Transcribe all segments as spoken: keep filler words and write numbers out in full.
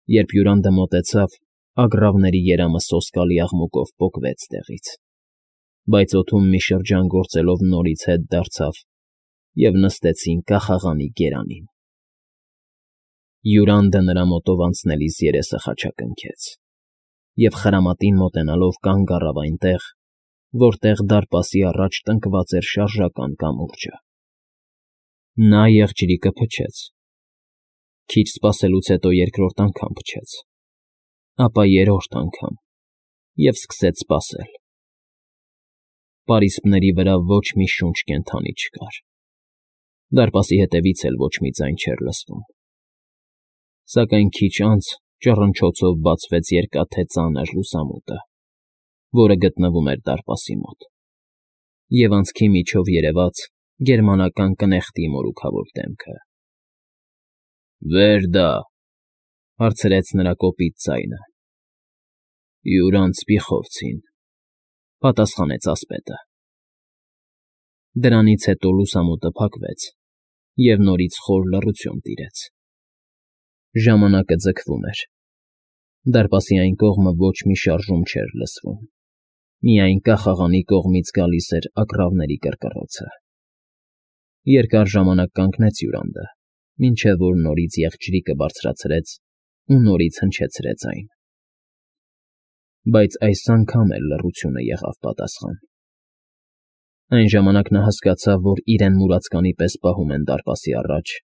Երբ Յուրանդը մոտեցավ, ագռավների երամը սոսկալի աղմուկով պոկվեց տեղից, բայց օդում մի շրջան գործելով նորից հետ դարձավ և նստեցին կախաղանի գերանին։ Յուրանդը նրա մոտով անցնելիս երեսը խաչակնքեց և խրամատին մոտենալով կանգ առավ այնտեղ, որտեղ դարպասի առաջ տնկված էր շարժական կամուրջը։ Նա եղջյուրիկը փչեց, քիչ սպասելուց հետո երկրորդ անգամ փչեց, ապա երրորդ անգամ և սկսեց սպասել։ Պարիսպների վրա ոչ մի շունչ կենդանի չկար, դարպասի հետևից էլ ոչ մի ձայն չէր լսվում, սակայն քիչ անց ճռնչոցով բացվեց երկաթե ծանր լուսամուտը, որը գտնվում էր դարպասի մոտ, և անցքի միջով երևաց գերմանական կնեղտի մորուքավոր դեմքը։ ֊ Վեր դա,֊ հարցրեց նրա կոպիտ ձայնը։ ֊ Յուրանց պիխովցին,֊ պատասխանեց ասպետը։ Դրանից հետո լուսամուտը փակվեց, և նորից խոր լռություն տիրեց։ Ժամանակը ձգվում էր։ Դարպասի այն կողմը ոչ մի շարժում չէր լսվում, միայն կախաղանի կողմից գալիս էր ագռավների կռկռոցը։ Երկար ժամանակ կանգնեց Յուրանդը, մինչև որ նորից եղջյուրիկը բարձրացրեց ու նորից հնչեցրեց այն։ Բայց այս անգամ էլ լռությունը եղավ պատասխան։ Այն ժամանակ նա հասկացավ, որ իրեն մուրացկանի պես պահում են դարպասի առաջ,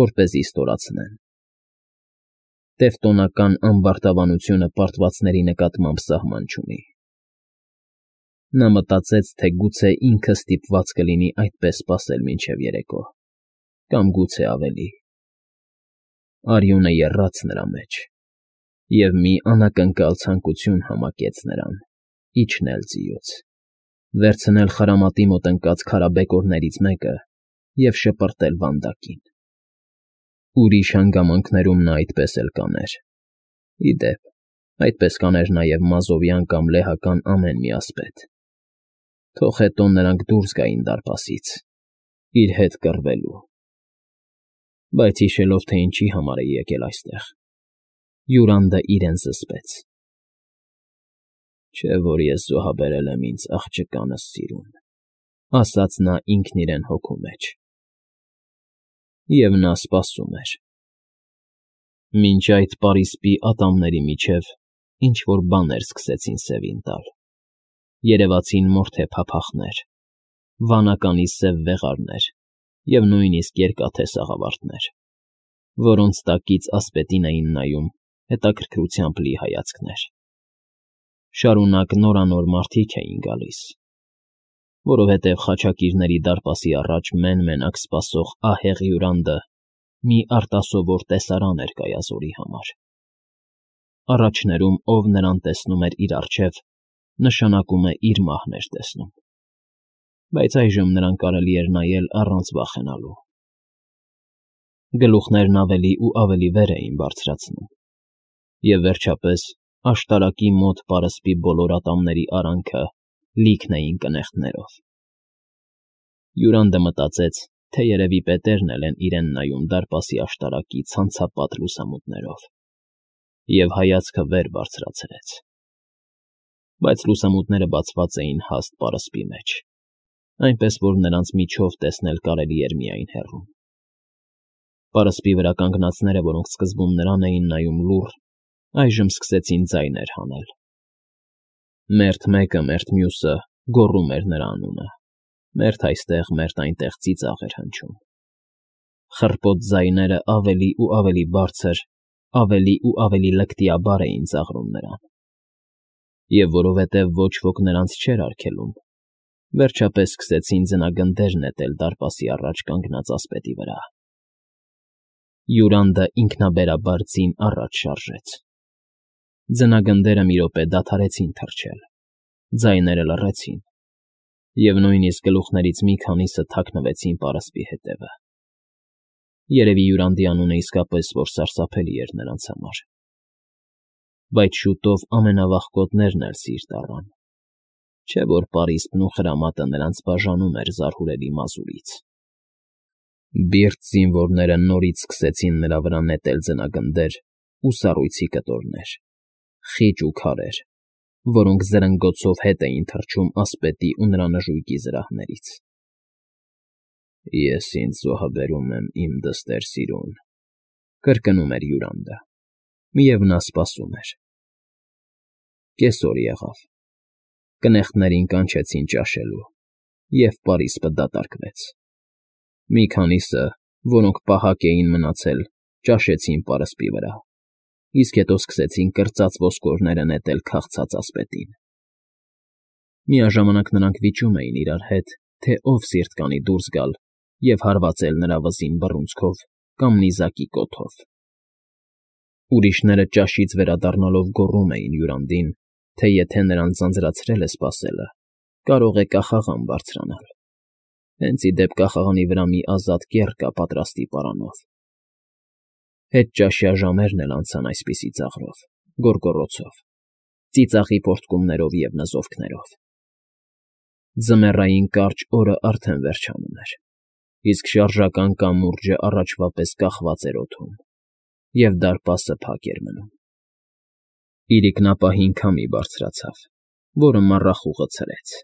որպեսզի ստորացնեն։ Տևտոնական ամբարտավանությունը պարտվածների նկատմամբ սահման չունի։ Նա մտածեց, թե գուցե ինքը ստիպված կլինի այդպես սպասել մինչև երեկո, կամ գուցե ավելի։ Արյունը եռաց նրա մեջ, և մի անակնկալ ցանկություն համակեց նրան իջնել ձիուց, վերցնել խրամատի մոտ ընկած քարաբեկորներից մեկը և շպրտել վանդակին։ Ուրիշ հանգամանքներում նա այդպես էլ կաներ։ Ի դեպ, այդպես կաներ նաև մազովյան կամ լեհական ամեն մի ասպետ, թող հետո նրանք դուրս գային դարպասից, իր հետ կռվելու։ Բայց հիշելով, թե ինչի համար է եկել այստեղ, Յուրանդը իրեն զսպեց։ «Չէ՞ որ ես զոհաբերել եմ ինձ աղջկանս սիրուն,֊ ասաց նա ինքն իրեն հոգու մեջ։ Եվ նա սպասում էր։ Մինչ այդ պարիսպի ատամների միջև ինչ֊որ բաներ սկսեցին սևին տալ, երևացին մորթե փափախներ, վանականի սև վեղարներ և նույնիսկ երկաթե սաղավարտներ, որոնց տակից ասպետին էին նայում հետաքրքրությամբ լի հայացքներ։ Շարունակ նորանոր մարդիկ էին գալիս, որովհետև խաչակիրների դարպասի առաջ մեն֊մենակ սպասող ահեղ Յուրանդը մի արտասովոր տեսարան էր կայազորի համար։ Առաջներում ով նրան տեսնում էր իր առջև, նշանակում է իր մահն էր տեսնում, բայց այժմ նրան կարելի էր նայել առանց վախենալու։ Գլուխներն ավելի ու ավելի վեր էին բարձրացնում, և վերջապես աշտարակի մոտ պարսպի բոլոր ատամների արանքը լիքն էին կնեղտներով։ Յուրանդը մտածեց, թե երևի պետերն էլ են իրեն նայում դարպասի աշտարակի ցանցապատ լուսամուտներով, և հայացքը վեր բարձրացրեց։ Բայց լուսամուտները բացված էին հաստ պարսպի մեջ, այնպես որ նրանց միջով տեսնել կարելի էր միայն հեռվում։ Պարսպի վրա կանգնածները, որոնք սկզբում նրան էին նայում լուռ, այժմ սկսեցին ձայներ հանել։ Մերթ մեկը, մերթ մյուսը գոռում էր նրա անունը, մերթ այստեղ, մերթ այնտեղ ծիծաղ էր հնչում։ Խռպոտ ձայները ավելի ու ավելի բարձր, ավելի ու ավելի լկտիաբար էին ծաղրում նրան։ Եվ որովհետև ոչ ոք նրանց չէր արգելում, վերջապես սկսեցին ձնագնդեր նետել դարպասի առաջ կանգնած ասպետի վրա։ Յուրանդը ինքնաբերաբար ձին առաջ շարժեց։ Ձնագնդերը մի րոպե դադարեցին թռչել, ձայները լռեցին, և նույնիսկ գլուխներից մի քանիսը թաքնվեցին պարսպի հետևը։ Երևի Յուրանդի անունը իսկապես որ սարսափելի էր նրանց համար։ Բայց շուտով ամենավախկոտներն էլ սիրտ առան, չէ՞ որ պարիսպն ու խրամատը նրանց բաժանում էր զարհուրելի մազուրից։ Բիրտ զինվորները նորից սկսեցին նրա վրա նետել ձնագնդեր ու սառույցի կտորներ, խիճ ու քարեր, որոնք զրնգոցով հետ էին թռչում ասպետի ու նրա նժույգի զրահներից։ «Ես ինձ զոհաբերում եմ իմ դստեր սիրուն», կրկնում էր հյուրանդը, և նա սպասում էր։ Կեսօր եղավ, կնեղտներին կանչեցին ճաշելու, և պարիսպը դատարկվեց։ Մի քանիսը, որոնք պահակ էին մնացել, ճաշեցին պարսպի վրա, իսկ հետո սկսեցին կրծած ոսկորները նետել քաղցած ասպետին։ Միաժամանակ նրանք վիճում էին իրար հետ, թե ով սիրտ կանի դուրս գալ և հարվածել նրա վզին բռունցքով կամ նիզակի կոթով։ Ուրիշները ճաշից վերադառնալով գոռում էին հյուրանդին, թե եթե նրան ձանձրացրել է սպասելը, կարող է կախաղան բարձրանալ, հենց ի դեպ կախաղանի վրա մի ազատ կեռ կա պատրաստի պարանով։ Հետճաշյա ժամերն էլ անցան այսպիսի ծաղրով, գոռգոռոցով, ծիծաղի պոռթկումներով և նզովքներով։ Ձմեռային կարճ օրը արդեն վերջանում էր, իսկ շարժական կամուրջը առաջվա պես կախված էր օդում, և դարպասը փակ էր մնում։ Իրիկնապահին քամի բարձրացավ, որը մառախուղը ցրեց,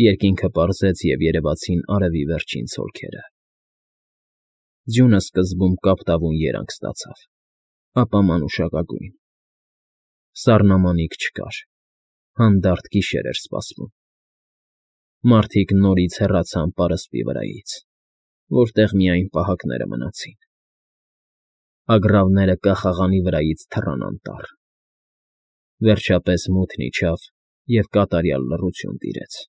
երկինքը պարզեց և երևացին արևի վերջին ցոլքերը։ Ձյունը սկզբում կապտավուն երանգ ստացավ, ապա մանուշակագույն։ Սառնամանիք չկար, հանդարտ գիշեր էր սպասվում։ Մարդիկ նորից հեռացան պարսպի վրայից, որտեղ միայն պահակները մնացին։ Ագռավները կախաղանի վրայից թռան անտառ։ Վերջապես մութն իջավ, և կատարյալ լռություն տիրեց։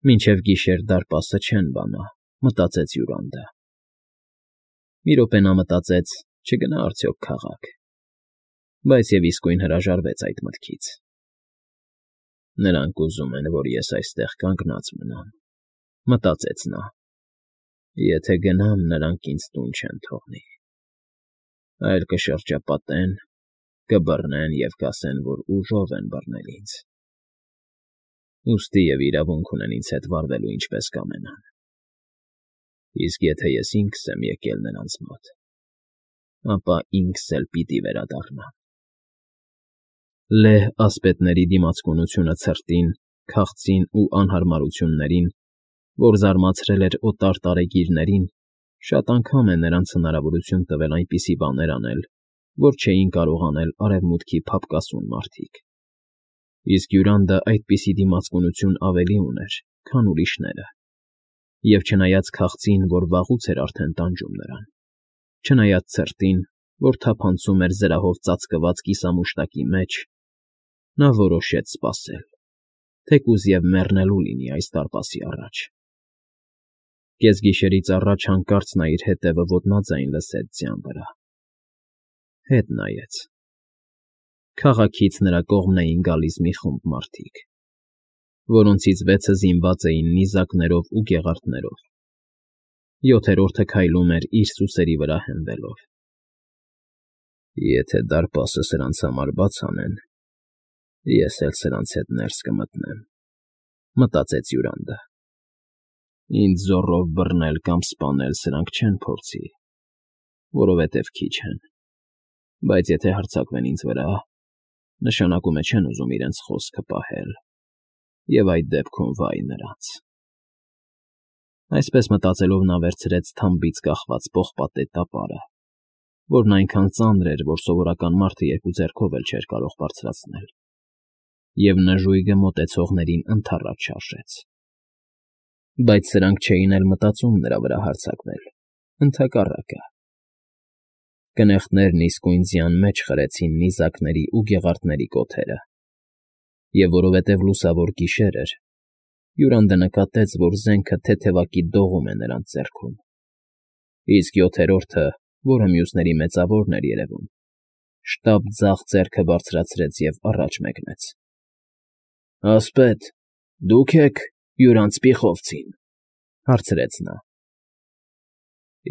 Մինչև գիշեր դարպասը չեն բանա, մտածեց հյուրանդը։ Մի րոպե նա մտածեց՝ չգնա՞ արդյոք քաղաք, բայց և իսկույն հրաժարվեց այդ մտքից։ «Նրանք ուզում են, որ ես այստեղ կանգնած մնամ,֊ մտածեց նա,֊ եթե գնամ, նրանք ինձ տուն չեն թողնի, այլ կշրջապատեն, կբռնեն և կասեն, որ ուժով են բռնել ինձ, ուստի և իրավունք ունեն ինձ հետ վարվելու ինչպես կամենան։ Իսկ եթե ես ինքս եմ եկել նրանց մոտ, ապա ինքս էլ պիտի վերադառնամ»։ Լեհ ասպետների դիմացկունությունը ցրտին, քաղցին ու անհարմարություններին, որ զարմացրել էր օտար տարեգիրներին, շատ անգամ է նրանց հնարավորություն տվել այնպիսի բաներ անել, որ չէին կարող անել արևմուտքի փափկասուն մարդիկ։ Իսկ հյուրանդը այդպիսի դիմացկունություն ավելի ուներ, քան ուրիշները, և չնայած քաղցին, որ վաղուց էր արդեն տանջում նրան, չնայած ցրտին, որ թափանցում էր զրահով ծածկված կիսամուշտակի մեջ, նա որոշեց սպասել, թեկուզ և մեռնելու լինի այս դարպասի առաջ։ Կեսգիշերից առաջ հանկարծ նա իր հետևը ոտնաձայն լսեց ձյան վրա։ Հետ նայեց։ Քաղաքից նրա կողմն էին գալիս մի խումբ մարդիկ, որոնցից վեցը զինված էին նիզակներով ու գեղարդներով, յոթերորդը քայլում էր իր սուսերի վրա հենվելով։ «Եթե դարպասը սրանց համար բաց անեն, ես էլ սրանց հետ ներս կմտնեմ,֊ մտածեց հյուրանդը։ Ինձ զոռով բռնել կամ սպանել սրանք չեն փորձի, որովհետև քիչ են, բայց եթե հարձակվեն ինձ վրա, նշանակում է չեն ուզում իրենց խոսքը պահել, և այդ դեպքում վայ նրանց»։ Այսպես մտածելով նա վերցրեց թամբից կախված պողպատե տապարը, որն այնքան ծանր էր, որ սովորական մարդը երկու ձեռքով էլ չէր կարող բարձրացնել, և նժույգը մոտեցողներին ընդառաջ շարժեց։ Բայց սրանք չէին էլ մտածում նրա վրա հարձակվել, ընդհակառակը։ Կնեղտներն իսկույն ձյան մեջ խրեցին նիզակների ու գեղարդների կոթերը, և որովհետև լուսավոր գիշեր էր, հյուրանդը նկատեց, որ զենքը թեթևակի դողում է նրանց ձեռքում, իսկ յոթերորդը, որը մյուսների մեծավորն էր երևում, շտապ ձախ ձեռքը բարձրացրեց և առաջ մեկնեց։ «Ասպետ, դու՞ք եք հյուրանց Պիխովցին,֊ հարցրեց նա։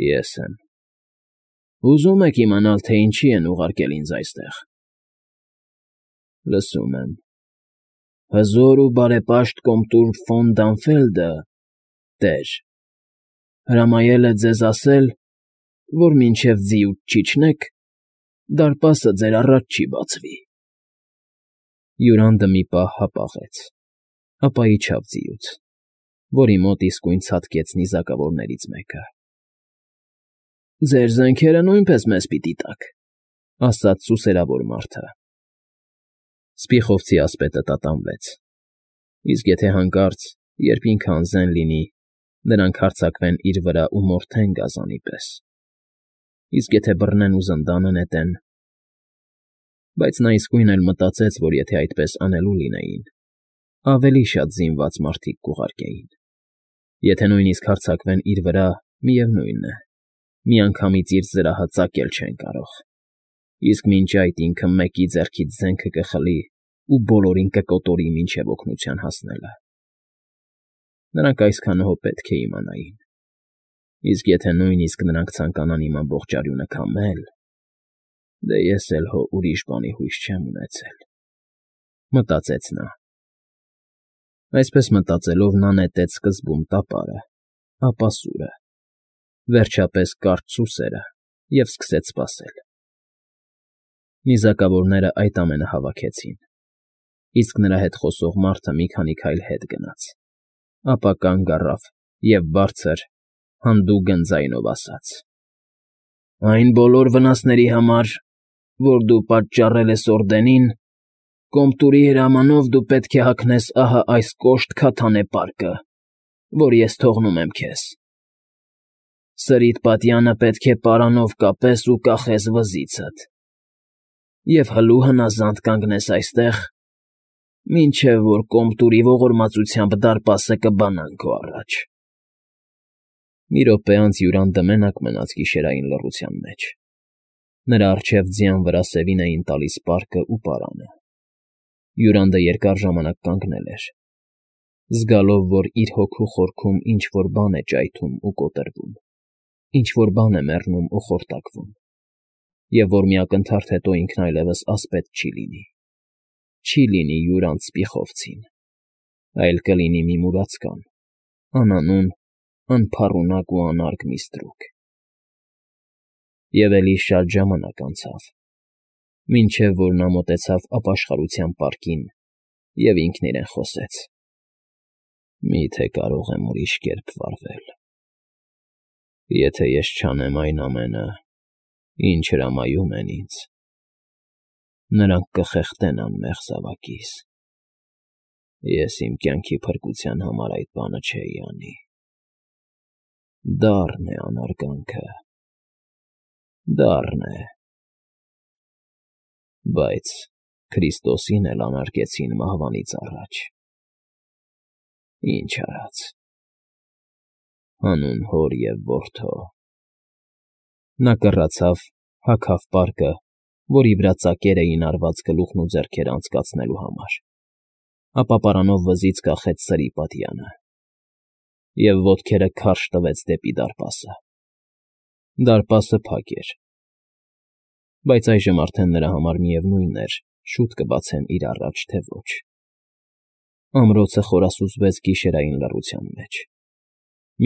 «Ես եմ»։ «Ուզում եք իմանալ, թե ինչի են ուղարկել ինձ այստեղ»։ «Լսում եմ։ Հզոր ու բարեպաշտ կոմտուր ֆոն Դանֆելդը, տեր, հրամայել է ձեզ ասել, որ մինչև ձիուց չիջնեք, Դարպասը ձեր առաջ չի բացվի։ Յուրանդը մի պահ հապաղեց, ապա իջավ ձիուց, որի մոտ իսկույն ցատկեց նիզակավորներից մեկը։ ֊ Ձեր զենքերը նույնպես մեզ պիտի տաք,֊ ասաց սուսերավոր մարդը։ Սպիխովցի ասպետը տատանվեց, իսկ եթե հանկարծ, երբ ինքը անզեն լինի, նրանք հարձակվեն իր վրա ու մորթեն գազանի պես, իսկ եթե բռնեն ու զնդանը նետեն… Բայց նա իսկույն էլ մտածեց, որ եթե այդպես անելու լինեին, ավելի շատ զինված մարդիկ կուղարկեին, եթե նույնիսկ հարձակվեն իր վրա, միևնույն է, միանգամից իր զրահը ծակել չեն կարող, իսկ մինչ այդ ինքը մեկի ձեռքից զենքը կխլի ու բոլորին կկոտորի մինչև օգնության հասնելը… Նրանք այսքանով պետք է իմանային, իսկ եթե նույնիսկ նրանք ցանկանան իմ ամբողջ արյունը քամել… Դե ես էլ հո ուրիշ բանի հույս չեմ ունեցել,֊ մտածեց նա։ Այսպես մտածելով նա նետեց սկզբում տապարը, ապա սուրը, վերջապես կարճ սուսերը և սկսեց սպասել։ Նիզակավորներն այդ ամենը հավաքեցին, իսկ նրա հետ խոսող մարդը մի քանի քայլ հետ գնաց, ապա կանգ առավ և բարձր, հանդուգն ձայնով ասաց. «Այն բոլոր վնասների համար, որ դու պատճառել ես Օրդենին, Կոմտուրի հրամանով դու պետք է հագնես ահա այս կոշտ քաթանե պարկը, որ ես թողնում եմ քեզ… Սրիդ պատյանը պետք է պարանով կապես ու կախես վզիցդ և հլու հնազանդ կանգնես այստեղ, մինչև որ Կոմտուրի ողորմածությամբ դարպասը կբանան քո առաջ»։ Մի րոպե անց Յուրանդը մենակ մնաց գիշերային լռության մեջ, նրա առջև ձյան վրա սևին էին տալիս պարկն ու պարանը։ Յուրանդը երկար ժամանակ կանգնել էր, զգալով, որ իր հոգու խորքում ինչ֊որ բան է ճայթում ու կոտրվում, ինչ֊որ բան է մեռնում ու խորտակվում, և որ մի ակնթարթ հետո ինքն այլևս ասպետ չի լինի, չի լինի Յուրանդ Սպիխովցին, այլ կլինի մի մուրացկան, անանուն, անփառունակ ու անարգ մի ստրուկ։ Եվ էլի շատ ժամանակ անցավ, մինչև որ նա մոտեցավ ապաշխարության պարկին և ինքն իրեն խոսեց. «Մի՞թե կարող եմ ուրիշ կերպ վարվել… Եթե ես չանեմ այն ամենը, ինչ հրամայում են ինձ, նրանք կխեղդեն անմեղ զավակիս… Ես իմ կյանքի փրկության համար այդ բանը չէի անի… Դառն է անարգանքը, դառն է… Բայց Քրիստոսին էլ անարգեցին մահվանից առաջ… Ինչ արած… Հանուն Հոր և Որդու…»։ Նա կռացավ, հագավ պարկը, որի վրա ծակեր էին արված գլուխն ու ձեռքերը անցկացնելու համար, ապա պարանով վզից կախեց սրի պատյանը և ոտքերը քարշ տվեց դեպի դարպասը։ Դարպասը փակ էր, բայց այժմ արդեն նրա համար միևնույն էր՝ շուտ կբացեն իր առաջ, թե ոչ։ Ամրոցը խորասուզվեց գիշերային լռության մեջ,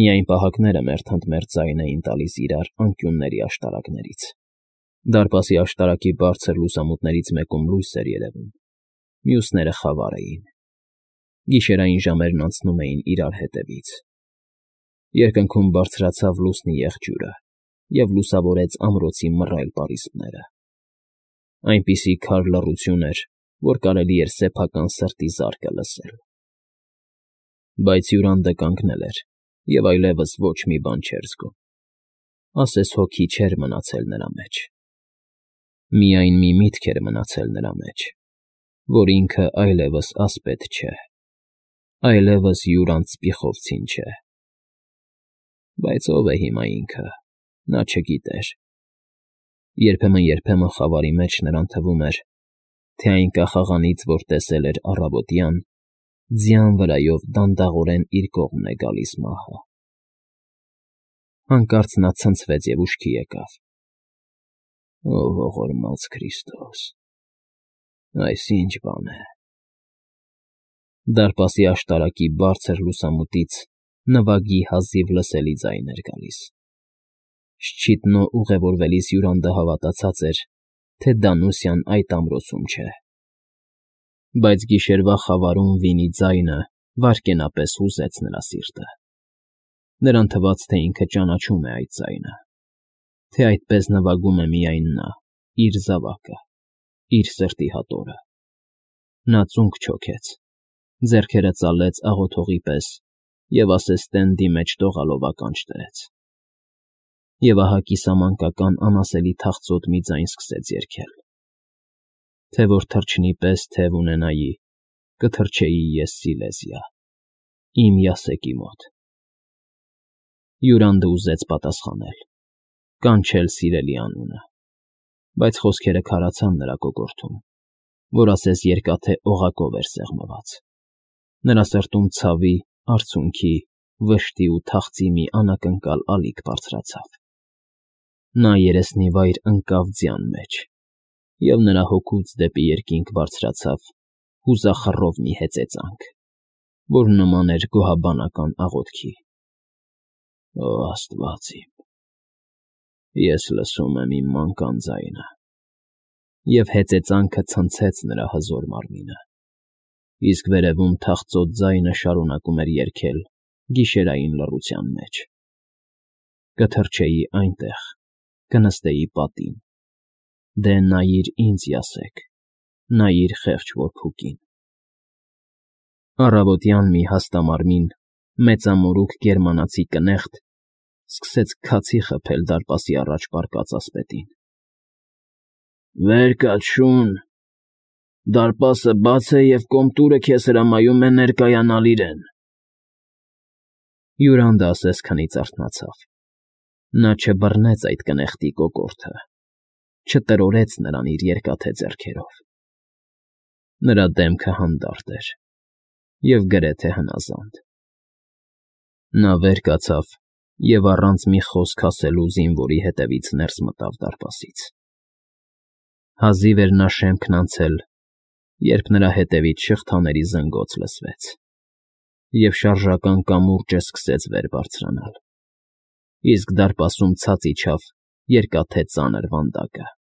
միայն պահակները մերթ ընդ մերթ ձայն էին տալիս իրար անկյունների աշտարակներից։ Դարպասի աշտարակի բարձր լուսամուտներից մեկում լույս էր երևում, մյուսները խավար էին։ Գիշերային ժամերն անցնում էին իրար հետևից։ Երկնքում բարձրացավ լուսնի եղջյուրը և լուսավորեց ամրոցի մռայլ պարիսպները։ Այնպիսի քար լռություն էր, որ կարելի էր սեփական սրտի զարկը լսել։ Բայց Յուրանդը կանգնել էր և այլևս ոչ մի բան չէր զգում, ասես հոգի չէր մնացել նրա մեջ։ Միայն մի միտք էր մնացել նրա մեջ, որ ինքը այլևս ասպետ չէ, այլևս Յուրանդ Սպիխովցին չէ։ Բայց ո՞վ է հիմա ինքը, նա չգիտեր։ Երբեմն֊երբեմն խավարի մեջ նրան թվում էր, թե այն կախաղանից, որ տեսել էր առավոտյան, ձյան վրայով դանդաղորեն իր կողմն է գալիս մահը։ Հանկարծ նա ցնցվեց և ուշքի եկավ. «Ո ողորմած Քրիստոս… Այս ի՞նչ բան է»։ Դարպասի աշտարակի բարձր լուսամուտից նվագի հազիվ լսելի ձայն էր գալիս։ Շչիտնո ուղևորվելիս Յուրանդը հավատացած էր, թե Դանուսյան այդ ամրոցում չէ։ Բայց գիշերվա խավարում վինի ձայնը վայրկենապես հուզեց նրա սիրտը։ Նրան թվաց, թե ինքը ճանաչում է այդ ձայնը, թե այդպես նվագում է միայն նա, իր զավակը, իր սրտի հատորը։ Նա ծունկ չոքեց, ձեռքերը ծալեց աղոթողի պես և ասես տենդի մեջ տողալով ականջ դրեց։ Եվ ահա կիսամանկական անասելի թախծոտ մի ձայն սկսեց երգել. Թե որ թռչնի պես թև ունենայի, կթռչեի ես Սիլեզիա, իմ Յասեկի մոտ։ Յուրանդը ուզեց պատասխանել, կանչել սիրելի անունը, բայց խոսքերը քարացան նրա կոկորդում, որ ասես երկաթե օղակով էր սեղմված։ Նրա սրտում ցավի, արցունքի, վշտի ու թախծի մի անակնկալ ալիք բարձրացավ։ Նա երեսնի վայր ընկավ ձյան մեջ, և նրա հոգուց դեպի երկինք բարձրացավ հուզախռով մի հեծեծանք, որ նման էր գոհաբանական աղոթքի. «Օ Աստված իմ, ես լսում եմ իմ մանկան ձայնը», և հեծեծանքը ցնցեց նրա հզոր մարմինը, իսկ վերևում թախծոտ ձայնը շարունակում էր երգել գիշերային լռության մեջ. «Կթռչեի այնտեղ, կնստեի պատին, դե նայիր ինձ, Յասեք, նայիր խեղճ որփուկին»։ Առավոտյան մի հաստամարմին, մեծամորուք գերմանացի կնեղտ սկսեց քացի խփել դարպասի առաջ պառկած ասպետին։ «Վեր կաց, շուն, դարպասը բաց է և կոմտուրը քեզ հրամայում է ներկայանալ իրեն»։ Յուրանդը ասես քնից արթնացավ։ Նա չբռնեց այդ կնեղտի կոկորդը, չտրորեց նրան իր երկաթե ձեռքերով։ Նրա դեմքը հանդարտ էր և գրեթե հնազանդ։ Նա վեր կացավ և առանց մի խոսք ասելու զինվորի հետևից ներս մտավ դարպասից։ Հազիվ էր նա շեմքն անցել, երբ նրա հետևից շղթաների զնգոց լսվեց, և շարժական կամուրջը սկսեց վեր բարձրանալ, իսկ դարպասում ցած իջավ երկաթե ծանր վանդակը։